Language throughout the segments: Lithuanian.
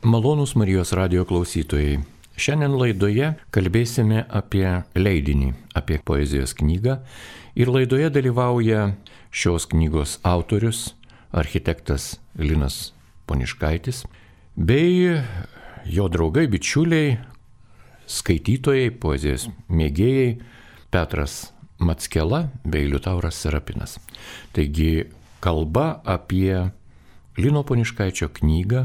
Malonūs Marijos radijo klausytojai. Šiandien laidoje kalbėsime apie leidinį, apie poezijos knygą. Ir laidoje dalyvauja šios knygos autorius, architektas Linas Poniškaitis, bei jo draugai, bičiuliai, skaitytojai, poezijos mėgėjai Petras Mackela bei Liutauras Serapinas. Taigi kalba apie Lino Poniškaičio knygą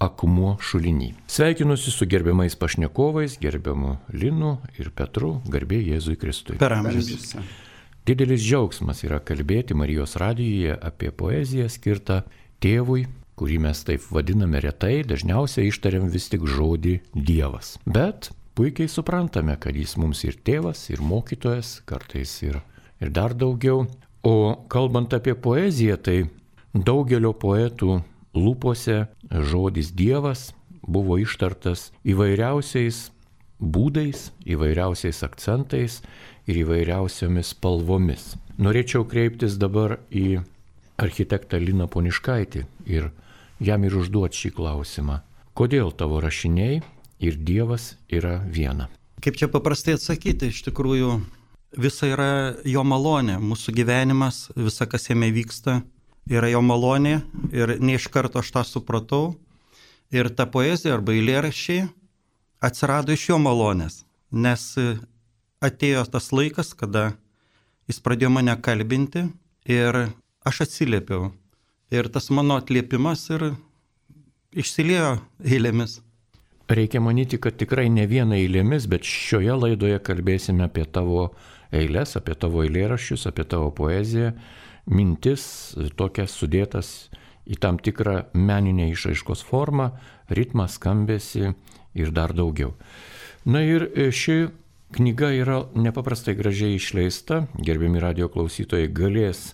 Akmuo šuliny. Sveikinuosi su gerbiamais pašnekovais, gerbiamu Linu ir Petru, garbė Jėzui Kristui. Per amžius. Didelis džiaugsmas yra kalbėti Marijos radijuje apie poeziją skirtą tėvui, kurį mes taip vadiname retai, dažniausiai ištariam vis tik žodį Dievas. Bet puikiai suprantame, kad jis mums ir tėvas, ir mokytojas, kartais ir dar daugiau. O kalbant apie poeziją, tai daugelio poetų lūpose žodis Dievas buvo ištartas įvairiausiais būdais, įvairiausiais akcentais ir įvairiausiomis spalvomis. Norėčiau kreiptis dabar į architektą Liną Poniškaitį ir jam ir užduoti šį klausimą. Kodėl tavo rašiniai ir Dievas yra viena? Kaip čia paprastai atsakyti, iš tikrųjų visa yra jo malonė, mūsų gyvenimas, visa kas jame vyksta, yra jo malonė ir ne iš karto aš tą supratau. Ir ta poezija arba eilėraščiai atsirado iš jo malonės, nes atėjo tas laikas, kada jis pradėjo mane kalbinti ir aš atsiliepiau. Ir tas mano atliepimas ir išsiliejo eilėmis. Reikia manyti, kad tikrai ne viena eilėmis, bet šioje laidoje kalbėsime apie tavo eilės, apie tavo eilėraščius, apie tavo poeziją. Mintis tokias sudėtas į tam tikrą meninę išraiškos formą, ritmą, skambesį ir dar daugiau. Na ir ši knyga yra nepaprastai gražiai išleista, gerbiami radijo klausytojai galės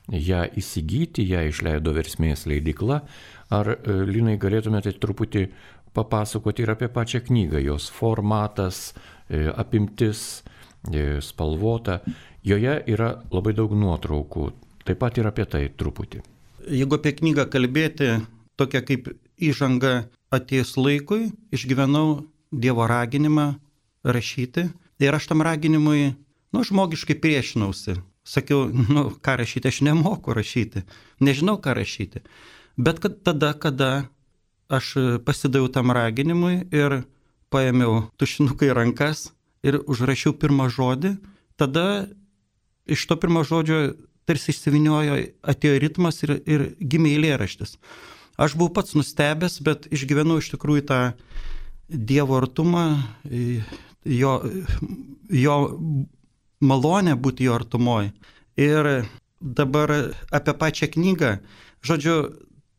ją įsigyti, ją išleido Versmės leidykla. Ar, Linai, galėtumėte truputį papasakoti ir apie pačią knygą, jos formatas, apimtis, spalvota. Joje yra labai daug nuotraukų. Taip pat ir apie tai truputį. Jeigu apie knygą kalbėti, tokia kaip įžanga atėjus laikui, išgyvenau Dievo raginimą rašyti. Ir aš tam raginimui, žmogiškai priešinausi. Sakiau, ką rašyti, aš nemoku rašyti, nežinau ką rašyti. Bet tada, kada aš pasidaviau tam raginimui ir paėmiau tušinuką į rankas ir užrašiau pirmą žodį, tada iš to pirmo žodžio tarsi išsiviniojo, atėjo ritmas ir gimė eilėraštis. Aš buvau pats nustebęs, bet išgyvenau iš tikrųjų tą Dievo artumą, jo malonę būti jo artumoj. Ir dabar apie pačią knygą, žodžiu,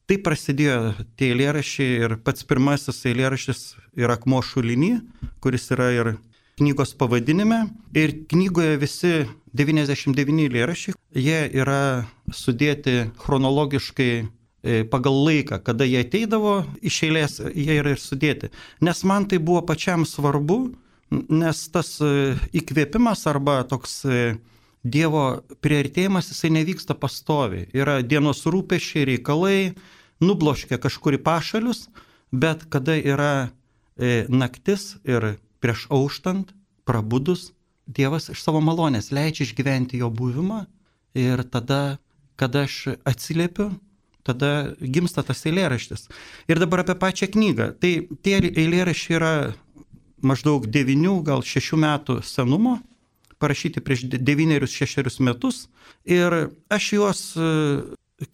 tai prasidėjo tie eilėraščiai ir pats pirmasis eilėraštis yra Akmuo šuliny, kuris yra ir knygos pavadinime. Ir knygoje visi 99 eilėraščiai, jie yra sudėti chronologiškai pagal laiką, kada jie ateidavo iš eilės, jie yra ir sudėti. Nes man tai buvo pačiam svarbu, nes tas įkvėpimas arba toks Dievo priartėjimas, jisai nevyksta pastoviai. Yra dienos rūpesčiai, reikalai, nubloškia kažkur į pašalius, bet kada yra naktis ir prieš auštant, prabudus, Dievas iš savo malonės leidžia išgyventi jo buvimą ir tada, kada aš atsiliepiu, tada gimsta tas eilėraštis. Ir dabar apie pačią knygą. Tai tie eilėraščiai yra maždaug 9, gal 6 metų senumo, parašyti prieš 9-6 metus. Ir aš juos,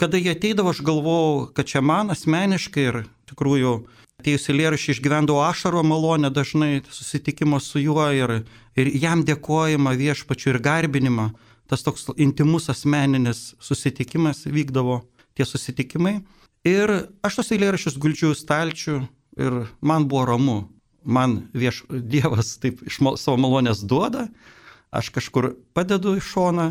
kada jie ateidavo, aš galvojau, kad čia man asmeniškai ir tikrųjų atėjus eilėraščiai išgyvendavo ašaro malonę dažnai, susitikimo su juo ir jam dėkojimą viešpačiu ir garbinimą. Tas toks intimus asmeninis susitikimas vykdavo, tie susitikimai. Ir aš tos eilėraščius guldžiu į stalčių ir man buvo ramu. Man Dievas taip iš savo malonės duoda, aš kažkur padedu į šoną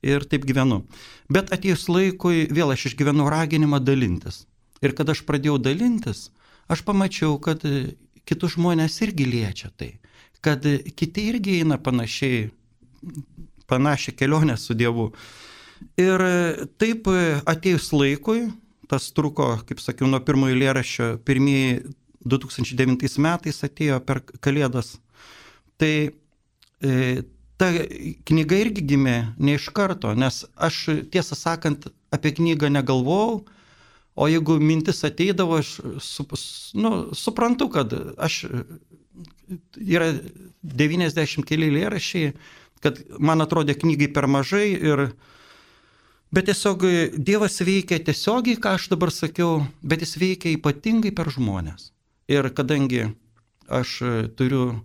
ir taip gyvenu. Bet atėjus laikui vėl aš išgyvenau raginimą dalintis. Ir kada aš pradėjau dalintis, aš pamačiau, kad kitus žmonės irgi liečia tai, kad kiti irgi eina panašią kelionę su Dievu. Ir taip atėjus laikui, tas truko, kaip sakiau, nuo pirmojo eilėraščio, pirmieji 2009 metais atėjo per Kalėdas. Tai ta knyga irgi gimė ne iš karto, nes aš tiesą sakant apie knygą negalvojau, o jeigu mintis ateidavo, aš suprantu, kad yra 90 keli eilėraščiai, kad man atrodė knygai per mažai, bet tiesiog Dievas veikia tiesiogiai, ką aš dabar sakiau, bet jis veikia ypatingai per žmonės. Ir kadangi aš turiu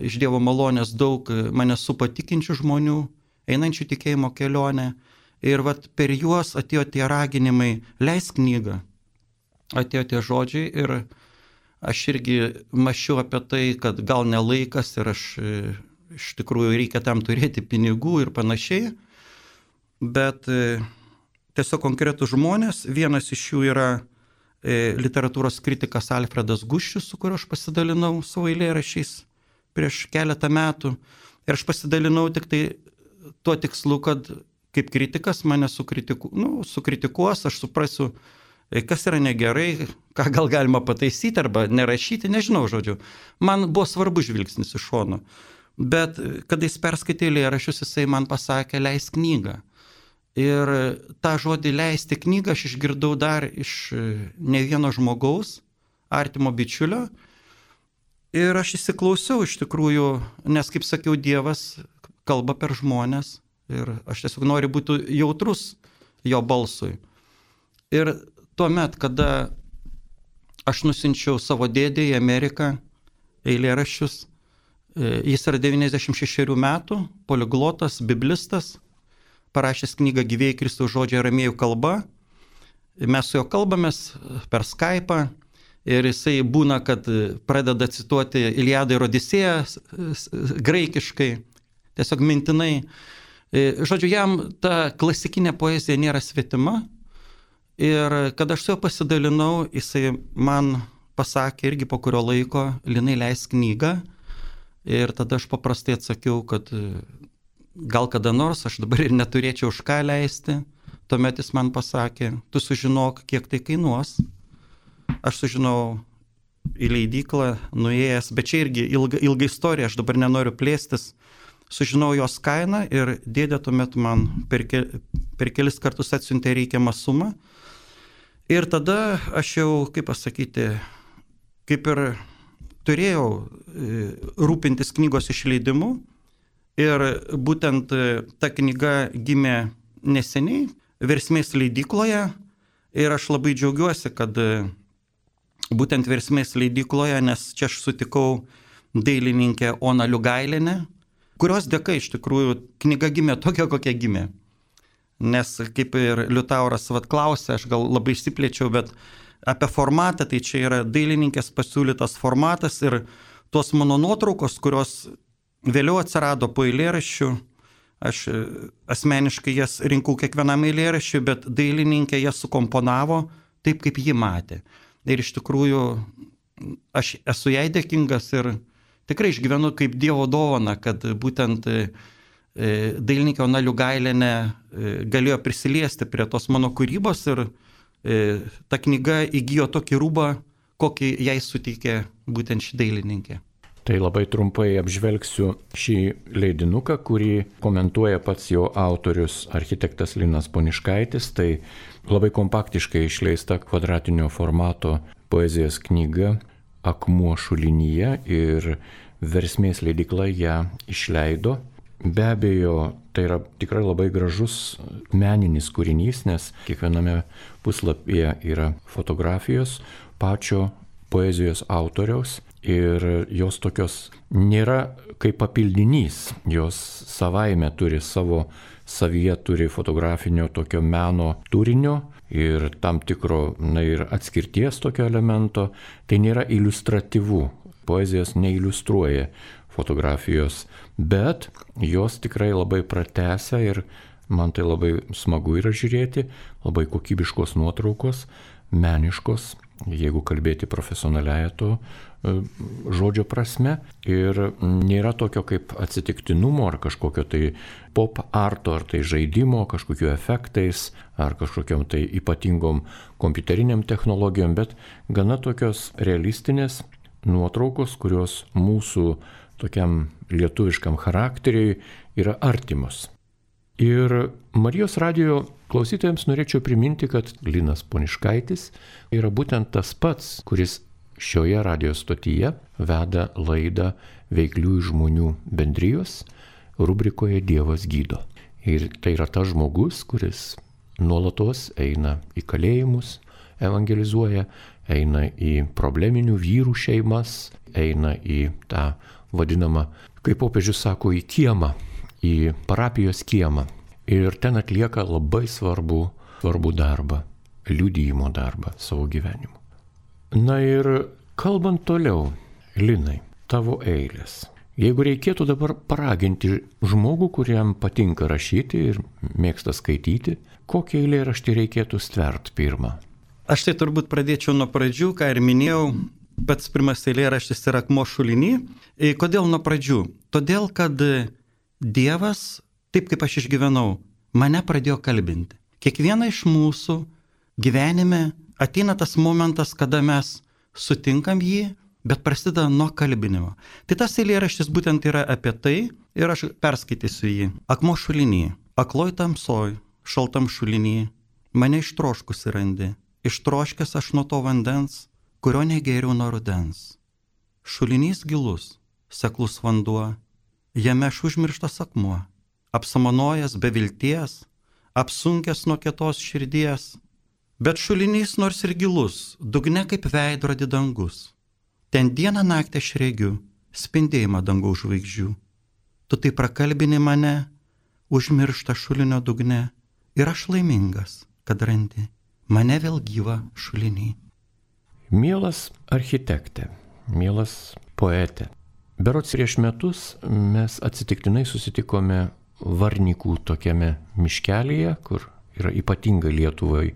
iš Dievo malonės daug mane supatikinčių žmonių, einančių tikėjimo kelionę, ir per juos atėjo tie raginimai, leisk knygą, atėjo tie žodžiai ir aš irgi mąsčiau apie tai, kad gal ne laikas ir aš iš tikrųjų reikia tam turėti pinigų ir panašiai, bet tiesiog konkretus žmonės, vienas iš jų yra literatūros kritikas Alfredas Guščius, su kuriuo aš pasidalinau savo eilėraščiais prieš keletą metų, ir aš pasidalinau tik tai tuo tikslu, kad kaip kritikas mane sukritikuos, aš suprasiu, kas yra negerai, ką gal galima pataisyti arba nerašyti, nežinau, žodžiu. Man buvo svarbu žvilgsnis iš šono. Bet kada jis perskaitė eilėraščius, jisai man pasakė, leisk knygą. Ir tą žodį leisti knygą aš išgirdau dar iš ne vieno žmogaus, artimo bičiulio. Ir aš įsiklausiau iš tikrųjų, nes, kaip sakiau, Dievas kalba per žmonės. Ir aš tiesiog noriu būti jautrus jo balsui. Ir tuomet, kada aš nusinčiau savo dėdę į Ameriką eilėraščius, jis yra 96 metų, poliglotas, biblistas, parašęs knygą Gyvieji Kristaus žodžiai aramėjų kalba. Mes su juo kalbamės per Skype'ą ir jisai būna, kad pradeda cituoti Iliadą ir Odisėją graikiškai, tiesiog mintinai. Žodžiu, jam ta klasikinė poezija nėra svetima. Ir kada aš su juo pasidalinau, jisai man pasakė irgi po kurio laiko, Linai, leisk knygą. Ir tada aš paprastai atsakiau, kad gal kada nors aš dabar ir neturėčiau už ką leisti. Tuomet jis man pasakė, tu sužinok, kiek tai kainuos. Aš sužinau į leidyklą, nuėjęs, bet čia irgi ilga istorija, aš dabar nenoriu plėstis. Sužinau jos kainą ir dėdė tuomet man per kelis kartus atsiuntė reikiamą sumą. Ir tada aš jau, kaip pasakyti, kaip ir turėjau rūpintis knygos išleidimu ir būtent ta knyga gimė neseniai Versmės leidykloje ir aš labai džiaugiuosi, kad būtent Versmės leidykloje, nes čia aš sutikau dailininkę Oną Liugailienę, kurios dėka iš tikrųjų knyga gimė tokia, kokia gimė. Nes kaip ir Liutauras klausė, aš gal labai išsiplėčiau, bet apie formatą, tai čia yra dailininkės pasiūlytas formatas ir tos mano nuotraukos, kurios vėliau atsirado po eilėraščių, aš asmeniškai jas rinkau kiekvienam eilėraščiui, bet dailininkė jas sukomponavo taip, kaip ji matė. Ir iš tikrųjų aš esu jai dėkingas ir tikrai išgyvenu kaip Dievo dovana, kad būtent dailininkė Ona Liugailienė galėjo prisiliesti prie tos mano kūrybos ir ta knyga įgijo tokį rūbą, kokį jai suteikė būtent ši dailininkė. Tai labai trumpai apžvelgsiu šį leidinuką, kurį komentuoja pats jo autorius architektas Linas Poniškaitis. Tai labai kompaktiškai išleista kvadratinio formato poezijos knyga Akmuo šulinyje ir Versmės leidykla ją išleido. Be abejo, tai yra tikrai labai gražus meninis kūrinys, nes kiekviename puslapyje yra fotografijos pačio poezijos autoriaus ir jos tokios nėra kaip papildinys, jos savaime turi savyje turi fotografinio tokio meno turinio ir tam tikro ir atskirties tokio elemento, tai nėra iliustratyvu, poezijos neiliustruoja fotografijos, bet jos tikrai labai pratęsia ir man tai labai smagu yra žiūrėti, labai kokybiškos nuotraukos, meniškos jeigu kalbėti profesionaliąją to žodžio prasme. Ir nėra tokio kaip atsitiktinumo ar kažkokio tai pop arto, ar tai žaidimo, kažkokiu efektais, ar kažkokiam tai ypatingom kompiuteriniam technologijom, bet gana tokios realistinės nuotraukos, kurios mūsų tokiam lietuviškam charakteriui yra artimos. Ir Marijos radijo klausytojams norėčiau priminti, kad Linas Poniškaitis yra būtent tas pats, kuris šioje radijo stotyje veda laidą Veikliųjų žmonių bendrijos rubrikoje Dievas gydo. Ir tai yra tas žmogus, kuris nuolatos eina į kalėjimus, evangelizuoja, eina į probleminių vyrų šeimas, eina į tą vadinamą, kaip popiežius sako, į kiemą, į parapijos kiemą. Ir ten atlieka labai svarbų darbą, liudijimo darbą savo gyvenimu. Na ir kalbant toliau, Linai, tavo eilės. Jeigu reikėtų dabar paraginti žmogų, kuriam patinka rašyti ir mėgsta skaityti, kokį eilėraštį reikėtų stvert pirmą? Aš tai turbūt pradėčiau nuo pradžių, ką ir minėjau, pats pirmas eilėraštis yra Akmuo šuliny. Kodėl nuo pradžių? Todėl, kad Dievas, taip kaip aš išgyvenau, mane pradėjo kalbinti. Kiekvieną iš mūsų gyvenime ateina tas momentas, kada mes sutinkam jį, bet prasideda nuo kalbinimo. Tai tas eilėraštis būtent yra apie tai ir aš perskaitysiu jį. Akmuo šuliny, akloj tamsoj, šaltam šuliny, mane ištroškusi randi. Ištroškęs aš nuo to vandens, kurio negėriau nuo rudens. Šulinys gilus, seklus vanduo, jame aš užmirštas akmuo, apsamanojęs be vilties, apsunkęs nuo kietos širdies. Bet šulinys nors ir gilus, dugne kaip veidrodį dangus. Ten dieną naktį aš regiu, spindėjimą dangaus žvaigždžių. Tu tai prakalbini mane, užmiršta šulinio dugne, ir aš laimingas, kad randi mane vėl gyvą šulinį. Mielas architektė, mielas poetė, berods prieš metus mes atsitiktinai susitikome Varnikų tokiame miškelyje, kur yra ypatinga Lietuvai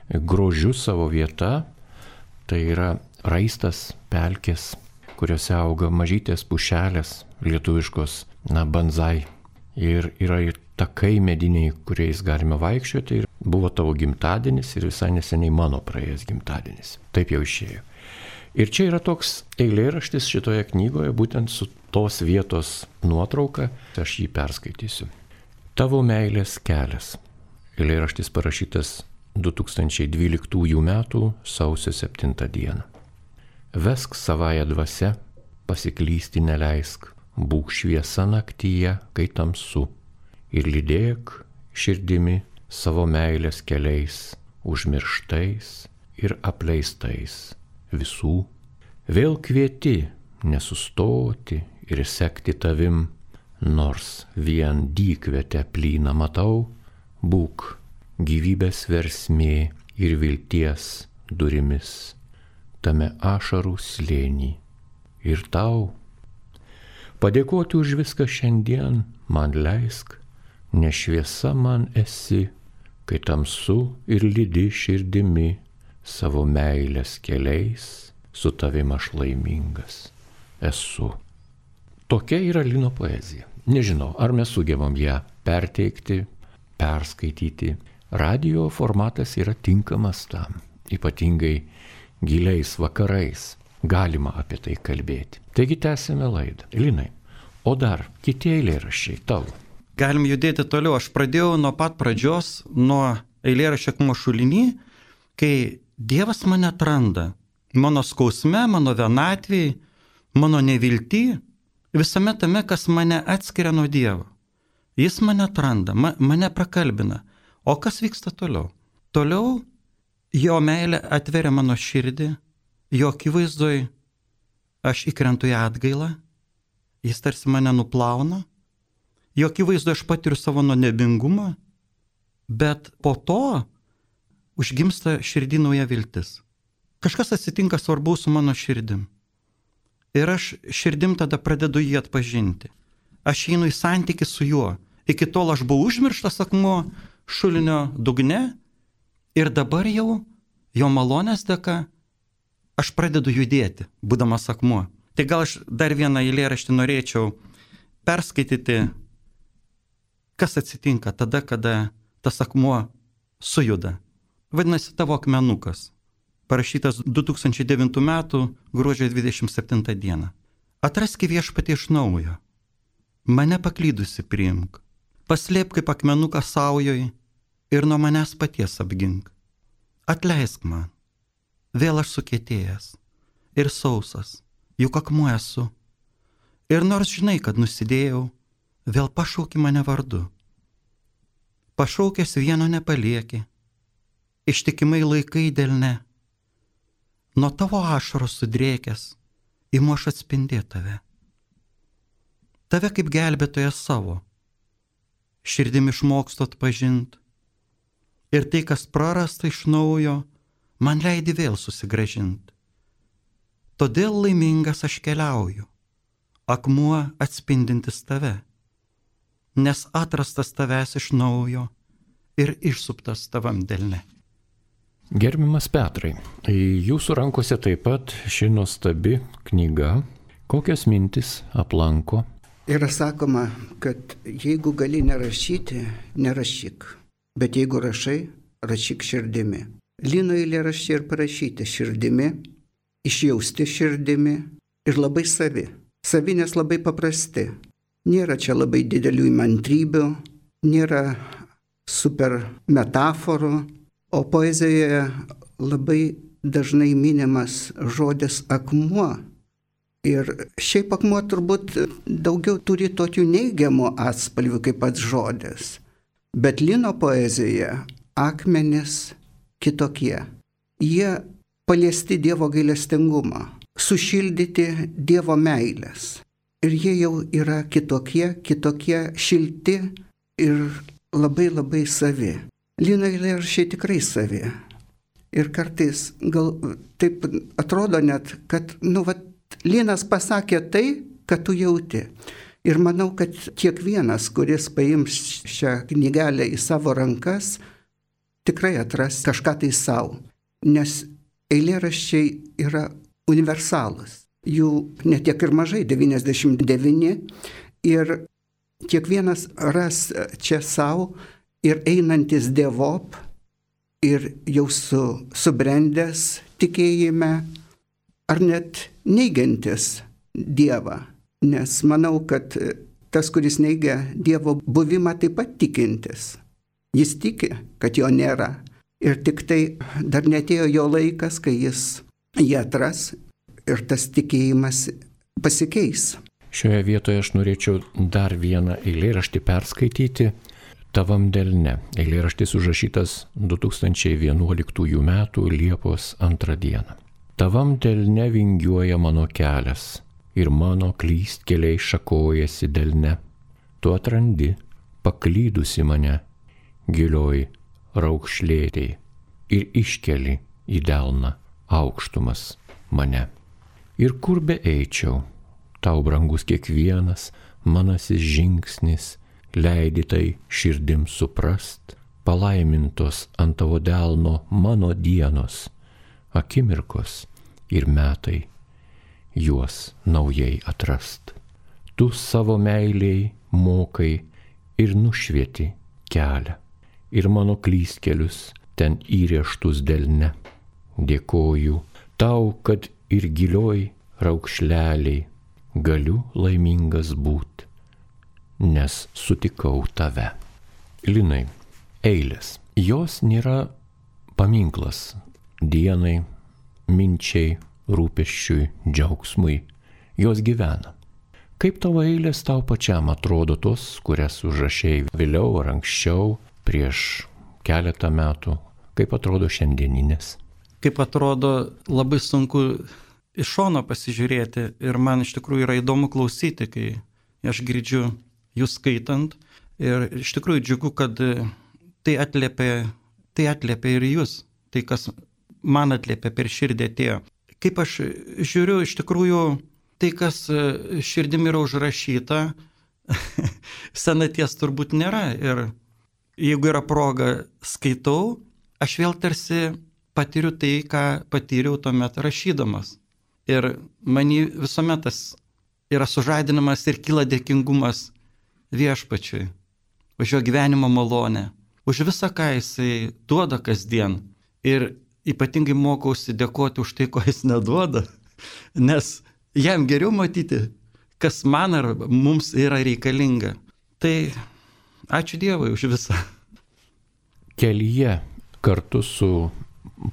grožiu savo vieta. Tai yra raistas pelkės, kuriuose auga mažytės pušelės, lietuviškos, banzai. Ir yra ir takai mediniai, kuriais galime vaikščioti. Ir buvo tavo gimtadienis ir visai neseniai mano praėjęs gimtadienis. Taip jau išėjo. Ir čia yra toks eilėraštis šitoje knygoje, būtent su tos vietos nuotrauka, aš jį perskaitysiu. Tavo meilės kelias. Eilėraštis parašytas 2012 m. sausio 7 d. Vesk savąją dvasią, pasiklysti neleisk, būk šviesa naktyje, kai tamsu, ir lydėk širdimi savo meilės keliais, užmirštais ir apleistais visų. Vėl kvieti nesustoti ir sekti tavim, nors vien dykvietę plyną matau, būk gyvybės versmė ir vilties durimis, tame ašarų slėny. Ir tau padėkoti už viską šiandien man leisk, nes šviesa man esi, kai tamsu ir lydi širdimi, savo meilės keliais su tavim aš laimingas esu. Tokia yra Lino poezija. Nežinau, ar mes sugebam ją perteikti, perskaityti. Radio formatas yra tinkamas tam, ypatingai giliais vakarais galima apie tai kalbėti. Taigi tęsime laidą. Linai, o dar kiti eilėraščiai tavo. Galim judėti toliau. Aš pradėjau nuo pat pradžios, nuo eilėraščio Akmuo šuliny, kai Dievas mane atranda. Mano skausme, mano vienatvėj, mano nevilty, visame tame, kas mane atskiria nuo Dievo. Jis mane atranda, mane prakalbina. O kas vyksta toliau? Toliau jo meilė atveria mano širdį, jo akivaizdoj aš įkrentu į atgailą, jis tarsi mane nuplauna, jo akivaizdoj aš patiriu savo nuodėmingumą, bet po to užgimsta širdį nauja viltis. Kažkas atsitinka svarbaus su mano širdim. Ir aš širdim tada pradedu jį atpažinti. Aš einu į santykį su juo. Iki tol aš buvau užmirštas akmuo šulinio dugne ir dabar jau jo malonės dėka aš pradedu judėti, būdamas akmuo. Tai gal aš dar vieną eilėraštį norėčiau perskaityti, kas atsitinka tada, kada tas akmuo sujuda. Vadinasi, tavo akmenukas. Parašytas 2009 m. gruodžio 27 d. Atraski Viešpatie iš naujo. Mane paklydusi priimk. Paslėp kaip akmenuką saujoj ir nuo manęs paties apgink. Atleisk man. Vėl aš sukietėjęs ir sausas, juk akmuo esu. Ir nors žinai, kad nusidėjau, vėl pašauki mane vardu. Pašaukęs vieno nepalieki, ištikimai laikai delne. Nuo tavo ašaros sudrėkęs, imu aš atspindėti tave. Tave kaip gelbėtoja savo, širdim išmokstu atpažint. Ir tai, kas prarasta iš naujo, man leidi vėl susigrąžint. Todėl laimingas aš keliauju, akmuo atspindintis tave, nes atrastas tavęs iš naujo ir išsuptas tavam delne. Gerbiamas Petrai, jūsų rankose taip pat ši nuostabi knyga. Kokios mintis aplanko? Yra sakoma, kad jeigu gali nerašyti, nerašyk. Bet jeigu rašai, rašyk širdimi. Lino eilėraščiai ir parašyti širdimi, išjausti širdimi ir labai savi. Savi, nes labai paprasti. Nėra čia labai didelių įmantrybių, nėra super metaforų, o poezijoje labai dažnai minimas žodis akmuo. Ir šiaip akmuo turbūt daugiau turi tokių neigiamų atspalvių kaip pats žodis. Bet Lino poezijoje akmenys kitokie. Jie paliesti Dievo gailestingumą, sušildyti Dievo meilės. Ir jie jau yra kitokie šilti ir labai savi. Lino eilėraščiai tikrai savi. Ir kartais gal taip atrodo net, kad, Linas pasakė tai, kad tu jauti. Ir manau, kad kiekvienas, kuris paims šią knygelę į savo rankas, tikrai atras kažką tai savo. Nes eilėraščiai yra universalūs. Jų netiek ir mažai, 99. Ir kiekvienas ras čia savo ir einantis dievop, ir jau subrendęs tikėjime, ar net neigiantis Dievą. Nes manau, kad tas, kuris neigia Dievo buvimą, taip pat tikintis. Jis tiki, kad jo nėra. Ir tik tai dar netėjo jo laikas, kai jis jį atras ir tas tikėjimas pasikeis. Šioje vietoje aš norėčiau dar vieną eilėraštį perskaityti. Tavam delne. Eilėraštis užrašytas 2011 m. Liepos 2 d. Tavam delne vingiuoja mano kelias ir mano klystkeliai šakojasi delne. Tu atrandi, paklydusi mane, gilioj raukšlėtėj ir iškeli į delną aukštumas mane. Ir kur be eičiau, tau brangus kiekvienas manasis žingsnis, leidi tai širdim suprast, palaimintos ant tavo delno mano dienos, akimirkos ir metai, juos naujai atrast. Tu savo meiliai mokai ir nušvieti kelią, ir mano klystkelius ten įrėžtus delne. Dėkoju tau, kad ir gilioj raukšleliai galiu laimingas būt, nes sutikau tave. Linai, eilės. Jos nėra paminklas dienai, minčiai, rūpesčiui, džiaugsmui. Jos gyvena. Kaip tavo eilės tau pačiam atrodo tos, kurias užrašei vėliau ar anksčiau, prieš keletą metų? Kaip atrodo šiandieninės? Kaip atrodo, labai sunku iš šono pasižiūrėti ir man iš tikrųjų yra įdomu klausyti, kai aš girdžiu jūs skaitant. Ir iš tikrųjų džiugu, kad tai atliepia ir jūs, tai kas man atliepia per širdį atėjo. Kaip aš žiūriu, iš tikrųjų, tai kas širdim yra užrašyta, senaties turbūt nėra. Ir jeigu yra proga skaitau, aš vėl tarsi patiriu tai, ką patyriau tuomet rašydamas. Ir manį visuomet tas yra sužadinamas ir kyla dėkingumas Viešpačiui už jo gyvenimo malonę, už visą, ką jisai duoda kasdien. Ir ypatingai mokausi dėkoti už tai, ko jis neduoda, nes jam geriau matyti, kas man ar mums yra reikalinga. Tai ačiū Dievui už visą. Kelyje kartu su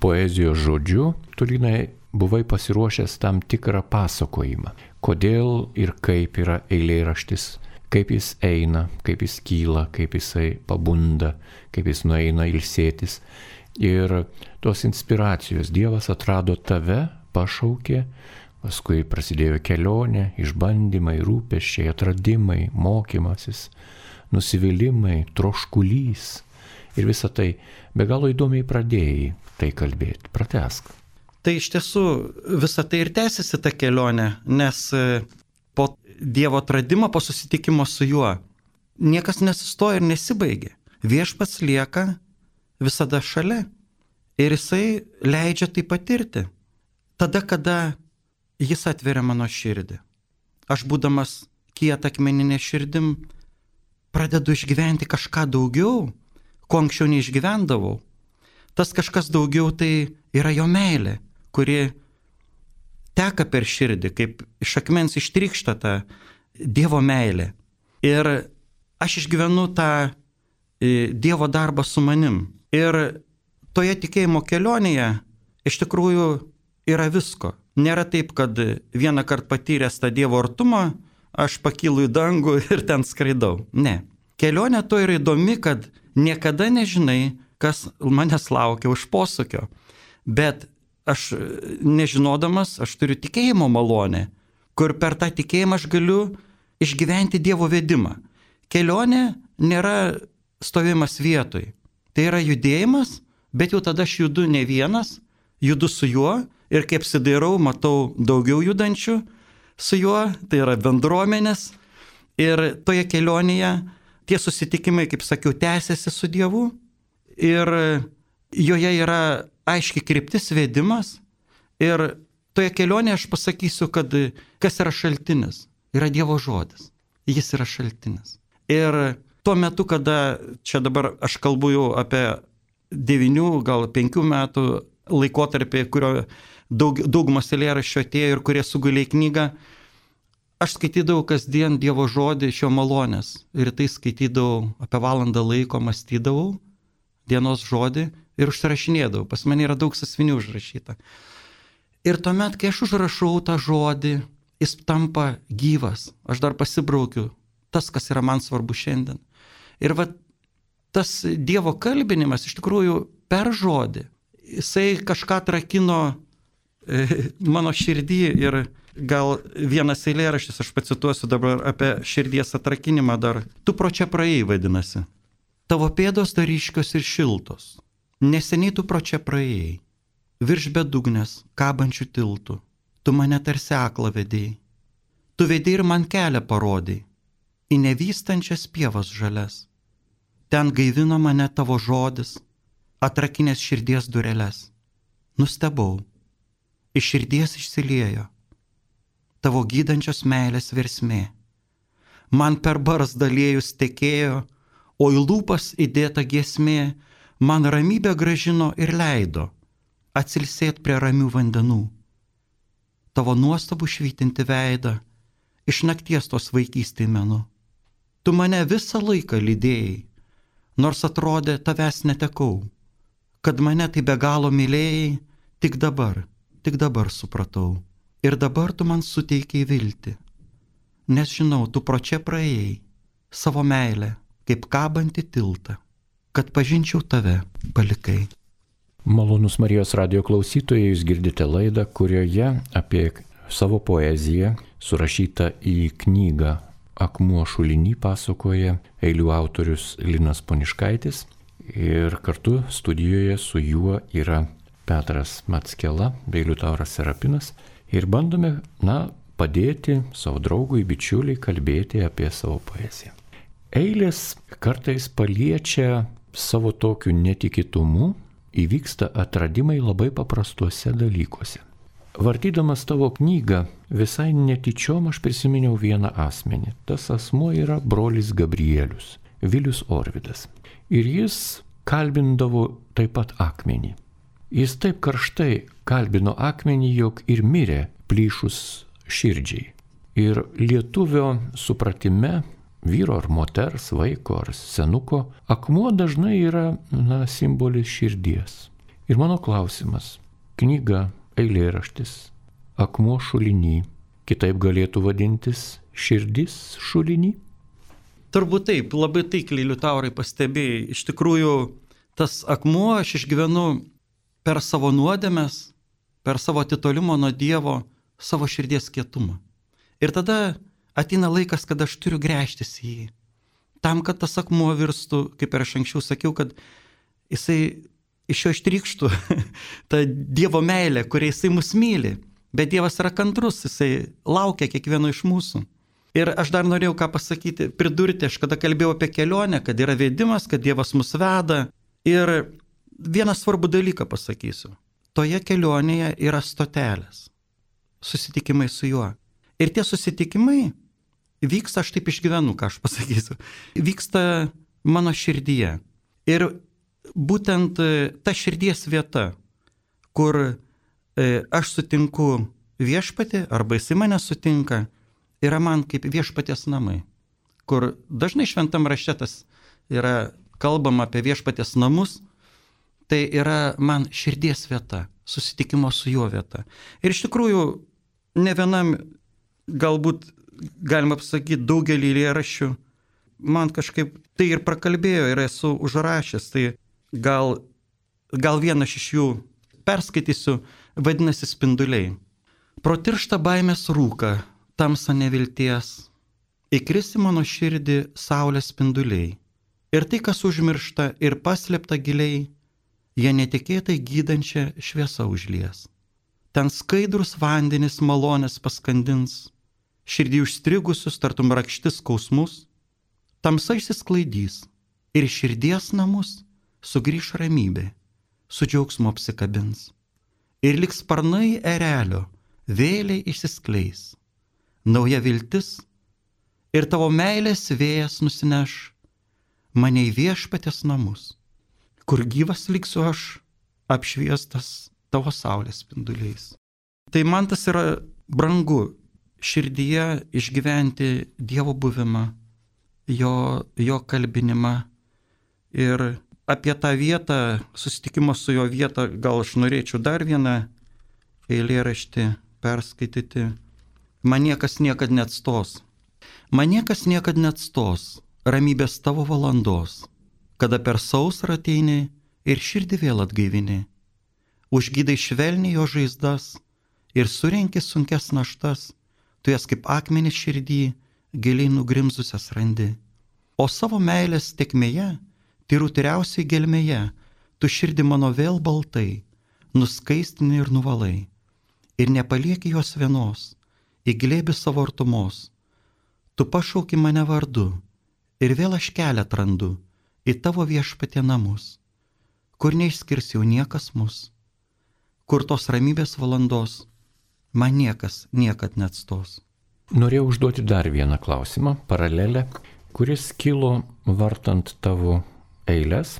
poezijos žodžiu, tu, Linai, buvai pasiruošęs tam tikrą pasakojimą. Kodėl ir kaip yra eilėraštis, kaip jis eina, kaip jis kyla, kaip jisai pabunda, kaip jis nueina ilsėtis. Ir tos inspiracijos Dievas atrado tave, pašaukė, paskui prasidėjo kelionė, išbandymai, rūpesčiai, atradimai, mokymasis, nusivylimai, troškulys. Ir visą tai be galo įdomiai pradėjai tai kalbėti. Pratęsk. Tai iš tiesų visą tai ir tęsiasi ta kelionė, nes po Dievo atradimo, po susitikimo su juo, niekas nesustoja ir nesibaigia. Viešpats lieka visada šalia ir jisai leidžia tai patirti. Tada, kada jis atveria mano širdį. Aš būdamas kietą akmeninę širdim pradedu išgyventi kažką daugiau, ko anksčiau neišgyvendavau. Tas kažkas daugiau tai yra jo meilė, kuri teka per širdį, kaip iš akmens ištrykšta ta Dievo meilė. Ir aš išgyvenu tą Dievo darbą su manim. Ir toje tikėjimo kelionėje iš tikrųjų yra visko. Nėra taip, kad vieną kartą patyręs tą Dievo artumą, aš pakylu į dangų ir ten skraidau. Ne. Kelionė to yra įdomi, kad niekada nežinai, kas manęs laukia už posūkio. Bet aš nežinodamas, aš turiu tikėjimo malonę, kur per tą tikėjimą aš galiu išgyventi Dievo vedimą. Kelionė nėra stovimas vietoj. Tai yra judėjimas, bet jau tada aš judu ne vienas, judu su juo ir kaip apsidairau, matau daugiau judančių su juo, tai yra bendruomenės. Ir toje kelionėje tie susitikimai, kaip sakiau, tęsiasi su Dievu ir joje yra aiški kryptis, vedimas. Ir toje kelionėje aš pasakysiu, kad kas yra šaltinis, yra Dievo žodis. Jis yra šaltinis. Ir tuo metu, kada čia dabar aš kalbu jau apie 9, gal 5 metų laikotarpį, kurio daugumas eilėraščių atėjo ir kurie sugulė į knygą, aš skaitydavau kasdien Dievo žodį iš jo malonės. Ir tai skaitydavau apie valandą laiko, mąstydavau dienos žodį ir užsirašinėdavau. Pas mane yra daug sąsiuvinių užrašyta. Ir tuomet, kai aš užrašau tą žodį, jis tampa gyvas. Aš dar pasibraukiu tas, kas yra man svarbu šiandien. Ir va, tas Dievo kalbinimas iš tikrųjų per žodį, jisai kažką atrakino mano širdį. Ir gal vienas eilėraštis, aš pacituosiu dabar apie širdies atrakinimą dar. Tu pro čia praėjai, vadinasi. Tavo pėdos dar ryškios ir šiltos. Neseniai tu pro čia praėjai. Virš bedugnės, kabančių tiltų. Tu mane tarsi aklą vedėjai. Tu vedėjai ir man kelią parodėjai. Į nevystančias pievas žalias. Ten gaivino mane tavo žodis, atrakinės širdies dureles. Nustebau. Iš širdies išsiliejo tavo gydančios meilės versmė. Man per barzdą liejus tekėjo, o į lūpas įdėta giesmė man ramybę gražino ir leido atsilsėt prie ramių vandenų. Tavo nuostabų švytinti veidą iš nakties tos vaikystėj menu. Tu mane visą laiką lydėjai, nors atrodė tavęs netekau. Kad mane tai be galo mylėjai, tik dabar supratau. Ir dabar tu man suteikiai viltį, nes žinau, tu pro čia praėjai savo meilę, kaip kabantį tiltą, kad pažinčiau tave, palikai. Malonus Marijos radijo klausytojai, jūs girdite laidą, kurioje apie savo poeziją, surašytą į knygą Akmuo šulinį, pasakoja eilių autorius Linas Poniškaitis. Ir kartu studijoje su juo yra Petras Mackela bei Liutauras Serapinas. Ir bandome, padėti savo draugui, bičiuliai kalbėti apie savo poeziją. Eilės kartais paliečia savo tokiu netikėtumu įvyksta atradimai labai paprastuose dalykuose. Vartydamas tavo knygą, visai netyčiom aš prisiminiau vieną asmenį. Tas asmuo yra brolis Gabrielius, Vilius Orvidas. Ir jis kalbindavo taip pat akmenį. Jis taip karštai kalbino akmenį, jog ir mirė plyšus širdžiai. Ir lietuvio supratime, vyro ar moters, vaiko ar senuko, akmuo dažnai yra simbolis širdies. Ir mano klausimas, knyga, eilėraštis, akmuo šuliny, kitaip galėtų vadintis širdis šuliny? Turbūt taip, labai taikliai Liutaurai pastebėjai. Iš tikrųjų, tas akmuo aš išgyvenu per savo nuodėmes, per savo atitolimo nuo Dievo, savo širdies kietumą. Ir tada ateina laikas, kad aš turiu gręžtis į jį. Tam, kad tas akmuo virstų, kaip ir aš anksčiau sakiau, kad jisai iš jo ištrykštų tą Dievo meilę, kuria jisai mus myli. Bet Dievas yra kantrus, jisai laukia kiekvieno iš mūsų. Ir aš dar norėjau ką pasakyti, pridurti, aš kada kalbėjau apie kelionę, kad yra vedimas, kad Dievas mus veda. Ir vieną svarbų dalyką pasakysiu. Toje kelionėje yra stotelės, susitikimai su juo. Ir tie susitikimai vyksta, aš taip išgyvenu, ką aš pasakysiu, vyksta mano širdyje. Ir būtent ta širdies vieta, kur aš sutinku viešpatį, arba jisai mane sutinka, yra man kaip viešpaties namai. Kur dažnai šventam rašte tas yra kalbama apie viešpaties namus, tai yra man širdies vieta, susitikimo su juo vieta. Ir iš tikrųjų, ne vienam, galbūt galima pasakyti, daugelį eilėraščių, man kažkaip tai ir prakalbėjo ir esu užrašęs, tai gal vieną iš jų perskaitysiu, vadinasi Spinduliai. Pro tirštą baimės rūką, tamsą nevilties, įkris į mano širdį saulės spinduliai. Ir tai, kas užmiršta ir paslėpta giliai, jie netikėtai gydančią šviesą užlies. Ten skaidrus vandenis malonės paskandins, širdį užstrigusius tartum rakštis skausmus, tamsa išsisklaidys ir širdies namus sugrįš ramybė, su džiaugsmu apsikabins. Ir liks sparnai erelio, vėliai išsiskleis, nauja viltis ir tavo meilės vėjas nusineš mane į viešpaties namus, kur gyvas liksiu aš, apšviestas tavo saulės spinduliais. Tai man tas yra brangu, širdyje išgyventi Dievo buvimą, jo kalbinimą. Ir apie tą vietą, susitikimą su jo vietą, gal aš norėčiau dar vieną eilėraštį perskaityti. Man niekas niekad neatstos. Man niekas niekad neatstos ramybės tavo valandos, kada per sausrą ateini ir širdį vėl atgaivini. Užgydai švelniai jo žaizdas ir surenki sunkes naštas, tu jas kaip akmenis širdį giliai nugrimzusias randi. O savo meilės tekmėje, tyrausiai gelmėje, tu širdį mano vėl baltai, nuskaistini ir nuvalai. Ir nepalieki jos vienos, į glėbį savo artumos. Tu pašauki mane vardu ir vėl aš kelią atrandu į tavo viešpatie namus, kur neišskirs jau niekas mus, kur tos ramybės valandos man niekas niekad neatstos. Norėjau užduoti dar vieną klausimą, paralelę, kuris kilo vartant tavo eiles.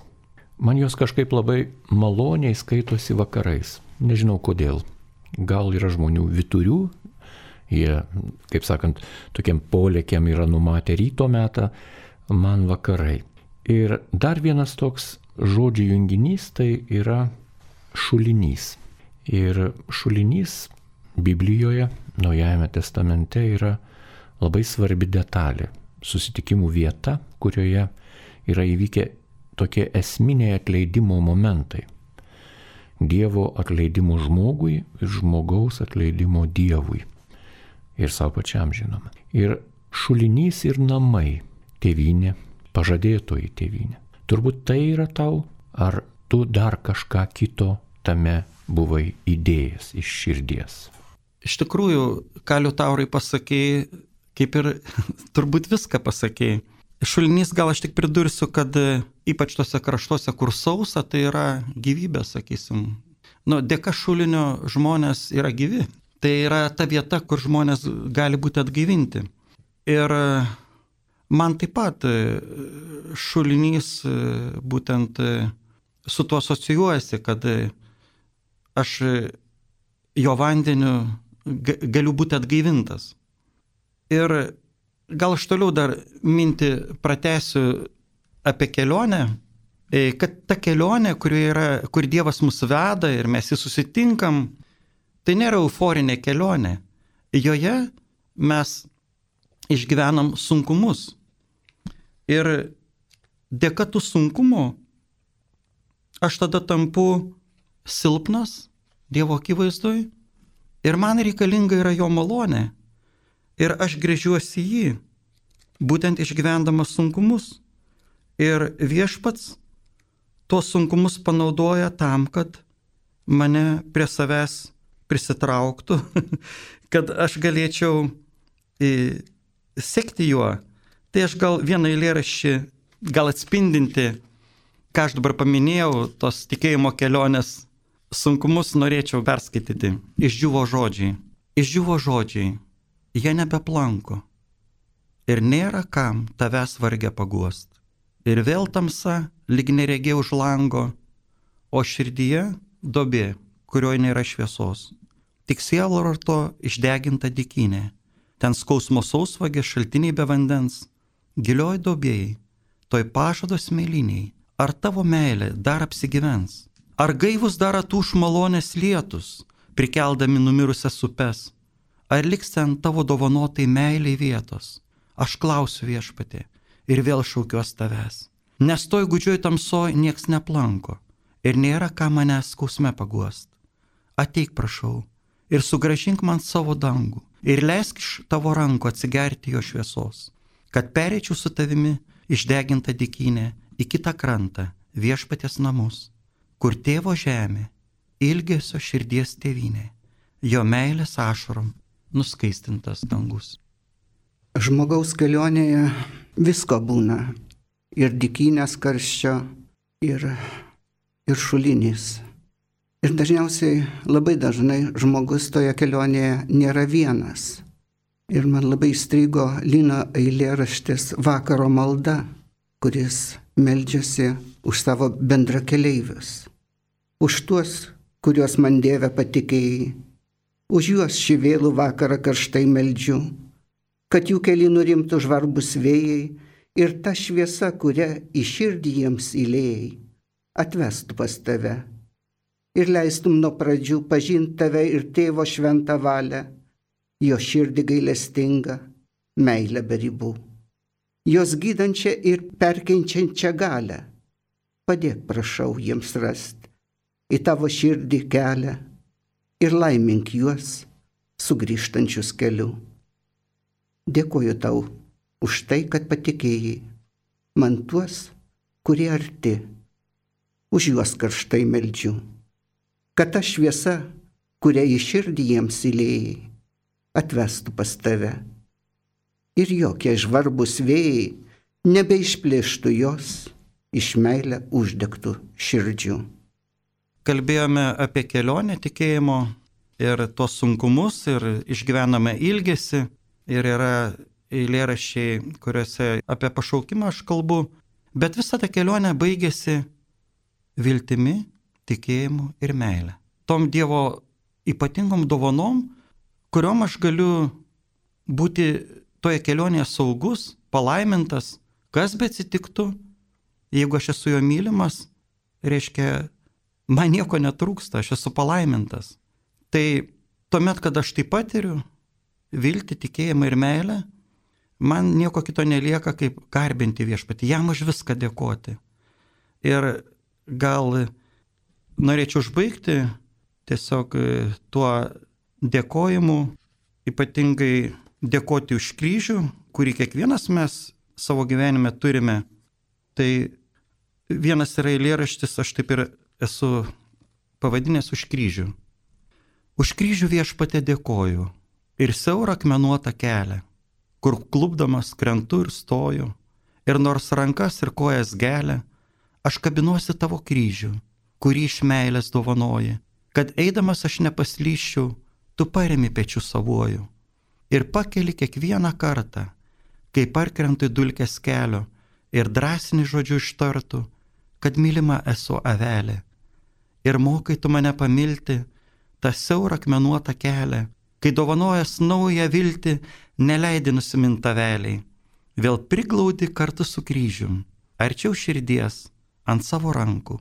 Man jos kažkaip labai maloniai skaitosi vakarais. Nežinau kodėl. Gal yra žmonių vyturių, jie, kaip sakant, tokiam polėkiam yra numatę ryto metą, man vakarai. Ir dar vienas toks žodžių junginys tai yra šulinys. Ir šulinys Biblijoje, Naujajame testamente yra labai svarbi detalė. Susitikimų vieta, kurioje yra įvykę tokie esminiai atleidimo momentai. Dievo atleidimo žmogui ir žmogaus atleidimo Dievui. Ir savo pačiam žinoma. Ir šulinys ir namai, tėvynė, pažadėtoji tėvynė. Turbūt tai yra tau, ar tu dar kažką kito tame buvai įdėjęs iš širdies? Iš tikrųjų, ką Liutaurai pasakėjai, kaip ir turbūt viską pasakėjai. Šulinys, gal aš tik pridursiu, kad ypač tose kraštuose, kur sausa, tai yra gyvybė, sakysim. Dėka šulinio žmonės yra gyvi. Tai yra ta vieta, kur žmonės gali būti atgaivinti. Ir man taip pat šulinys būtent su tuo asocijuojasi, kad aš jo vandeniu galiu būti atgaivintas. Ir gal aš toliau dar mintį pratęsiu apie kelionę, kad ta kelionė, kur Dievas mus veda ir mes jį susitinkam, tai nėra euforinė kelionė. Joje mes išgyvenam sunkumus. Ir dėka tų sunkumų aš tada tampu silpnas Dievo akivaizdoj ir man reikalinga yra jo malonė. Ir aš gręžiuosi jį, būtent išgyvendamas sunkumus. Ir Viešpats tuos sunkumus panaudoja tam, kad mane prie savęs prisitrauktų, kad aš galėčiau sekti juo. Tai aš gal vieną eilėraštį, gal atspindinti, ką aš dabar paminėjau, tos tikėjimo kelionės sunkumus norėčiau perskaityti. Išdžiūvo žodžiai. Išdžiūvo žodžiai. Jie nebeplanko. Ir nėra kam tavęs vargę paguost. Ir vėl tamsa, lyg neregė už lango, o širdyje duobė, kurioje nėra šviesos. Tik sielvarto išdeginta dykynė. Ten skausmo sausvagė, šaltiniai be vandens. Gilioj duobėjai, toj pažado smėlyniai. Ar tavo meilė dar apsigyvens? Ar gaivus dar atūš malonės lietus, prikeldami numirusias upes? Ar liks ten tavo dovanotai meiliai vietos? Aš klausiu Viešpatie ir vėl šaukiuos tavęs. Nes toj gūdžioj tamsoj nieks neplanko ir nėra ką manęs skausme paguost. Ateik, prašau, ir sugrąžink man savo dangų ir leisk iš tavo rankų atsigerti jo šviesos, kad pereičiau su tavimi išdegintą dykynę į kitą krantą, Viešpaties namus, kur tėvo žemė, ilgesio širdies tėvynė, jo meilės ašarom nuskaistintas dangus. Žmogaus kelionėje visko būna. Ir dykynės karščio, ir šulinys. Ir dažniausiai, labai dažnai žmogus toje kelionėje nėra vienas. Ir man labai įstrigo Lino eilėraštis Vakaro malda, kuris meldžiasi už savo bendrakeleivius. Už tuos, kuriuos man Dieve patikėjai. Už juos šį vėlų vakarą karštai meldžiu, kad jų keli nurimtų žvarbus vėjai ir ta šviesa, kurią į širdį jiems įlėjai, atvestų pas tave ir leistum nuo pradžių pažinti tave ir tėvo šventą valią, jo širdį gailestingą, meilę be ribų, jos gydančią ir perkeičiančią galią. Padėk, prašau, jiems rasti į tavo širdį kelią ir laimink juos sugrįžtančius keliu. Dėkoju tau už tai, kad patikėjai man tuos, kurie arti, už juos karštai meldžiu, kad ta šviesa, kurią į širdį jiems įlėjai, atvestų pas tave ir jokie žvarbus vėjai nebeišplėštų jos iš meilę uždegtų širdžių. Kalbėjome apie kelionę tikėjimo ir tuos sunkumus ir išgyvename ilgesį ir yra eilėraščiai, kuriuose apie pašaukimą aš kalbu, bet visa ta kelionė baigėsi viltimi, tikėjimu ir meilė. Tom Dievo ypatingom dovanom, kuriom aš galiu būti toje kelionėje saugus, palaimintas, kas be atsitiktų, jeigu aš esu jo mylimas, reiškia, man nieko netrūksta, aš esu palaimintas. Tai tuomet, kad aš tai patiriu, viltį, tikėjimą ir meilę, man nieko kito nelieka, kaip garbinti Viešpatį, jam už viską dėkoti. Ir gal norėčiau užbaigti tiesiog tuo dėkojimu, ypatingai dėkoti už kryžių, kurį kiekvienas mes savo gyvenime turime. Tai vienas yra eilėraštis, aš taip ir esu pavadinęs už kryžių. Už kryžių Viešpatie dėkoju ir siaurą akmenuotą kelią, kur klupdamas krentu ir stoju, Ir nors rankas ir kojas gelia, aš kabinuosi tavo kryžių, kurį iš meilės dovanoji, kad eidamas aš nepaslyščiau, tu paremi pečių savuoju. Ir pakeli kiekvieną kartą, kai parkrentu į dulkes kelio ir drąsini žodžiu ištartų, kad mylima esu avelė. Ir mokai tu mane pamilti tą siaurą akmenuotą kelią, kai dovanojas naują viltį neleidi nusimint aveliai. Vėl priglaudi kartu su kryžium, arčiau širdies, ant savo rankų,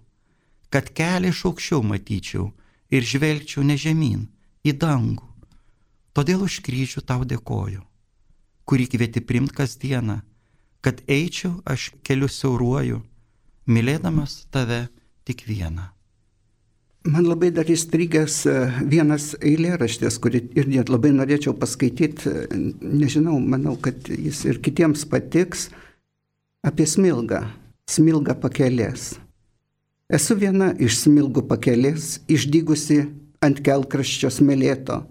kad kelią iš aukščiau matyčiau ir žvelgčiau ne žemyn, į dangų. Todėl už kryžių tau dėkoju, kurį kvieti primt kasdieną, kad eičiau aš keliu siauruoju, mylėdamas tave tik vieną. Man labai dar įstrigęs vienas eilėraštis, kurį ir net labai norėčiau paskaityti, nežinau, manau, kad jis ir kitiems patiks, apie smilgą, smilgą pakelės. Esu viena iš smilgų pakelės, išdygusi ant kelkraščio smėlėto,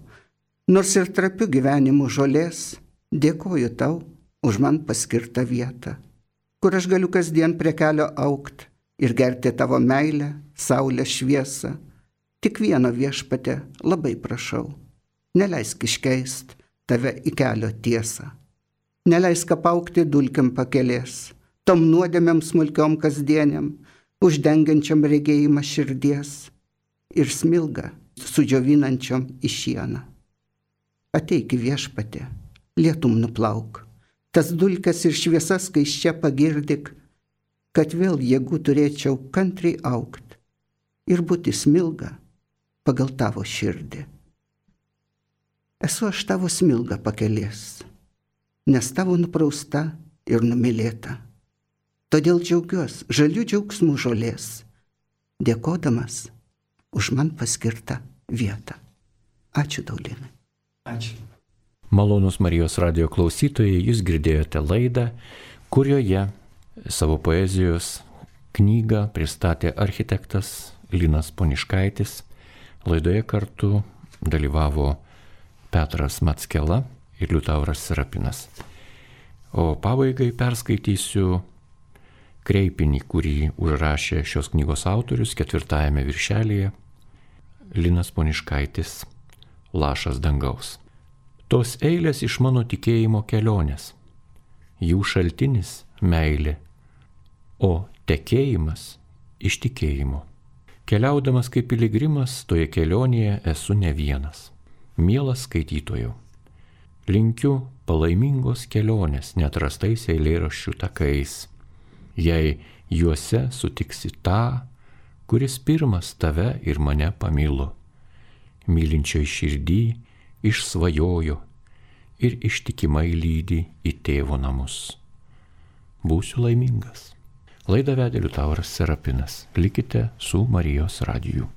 nors ir trapiu gyvenimu žolės, dėkoju tau už man paskirtą vietą, kur aš galiu kasdien prie kelio augt ir gerti tavo meilę, saulės šviesą. Tik vieno viešpate labai prašau, neleisk iškeist tave į kelio tiesą. Neleisk apaugti dulkiam pakelės, tom nuodėmėm smulkiom kasdieniam, uždengiančiam regėjimą širdies ir smilgą sudžiovinančiom į šieną. Ateik viešpate, lietum nuplauk, tas dulkes ir šviesas skaisčia pagirdik, kad vėl jėgų turėčiau kantriai augt ir būti smilga pagal tavo širdį. Esu aš tavo smilga pakelės, nes tavo nuprausta ir numylėta. Todėl džiaugiuosi žalių džiaugsmų žolės, dėkodamas už man paskirtą vietą. Ačiū tau, Linai. Ačiū. Malonūs Marijos radijo klausytojai, jūs girdėjote laidą, kurioje savo poezijos knygą pristatė architektas Linas Poniškaitis. Laidoje kartu dalyvavo Petras Mackela ir Liutauras Serapinas. O pabaigai perskaitysiu kreipinį, kurį užrašė šios knygos autorius 4 viršelyje Linas Poniškaitis, Lašas dangaus. Tos eilės iš mano tikėjimo kelionės, jų šaltinis meilė, o tekėjimas iš tikėjimo. Keliaudamas kaip piligrimas, toje kelionėje esu ne vienas. Mielas skaitytojau, linkiu palaimingos kelionės neatrastais eilėraščių takais, jei juose sutiksi tą, kuris pirmas tave ir mane pamilo, mylinčioj širdį išsvajojo ir ištikimai lydi į tėvo namus. Būsiu laimingas. Laidą vedė Liutauras Serapinas. Likite su Marijos radiju.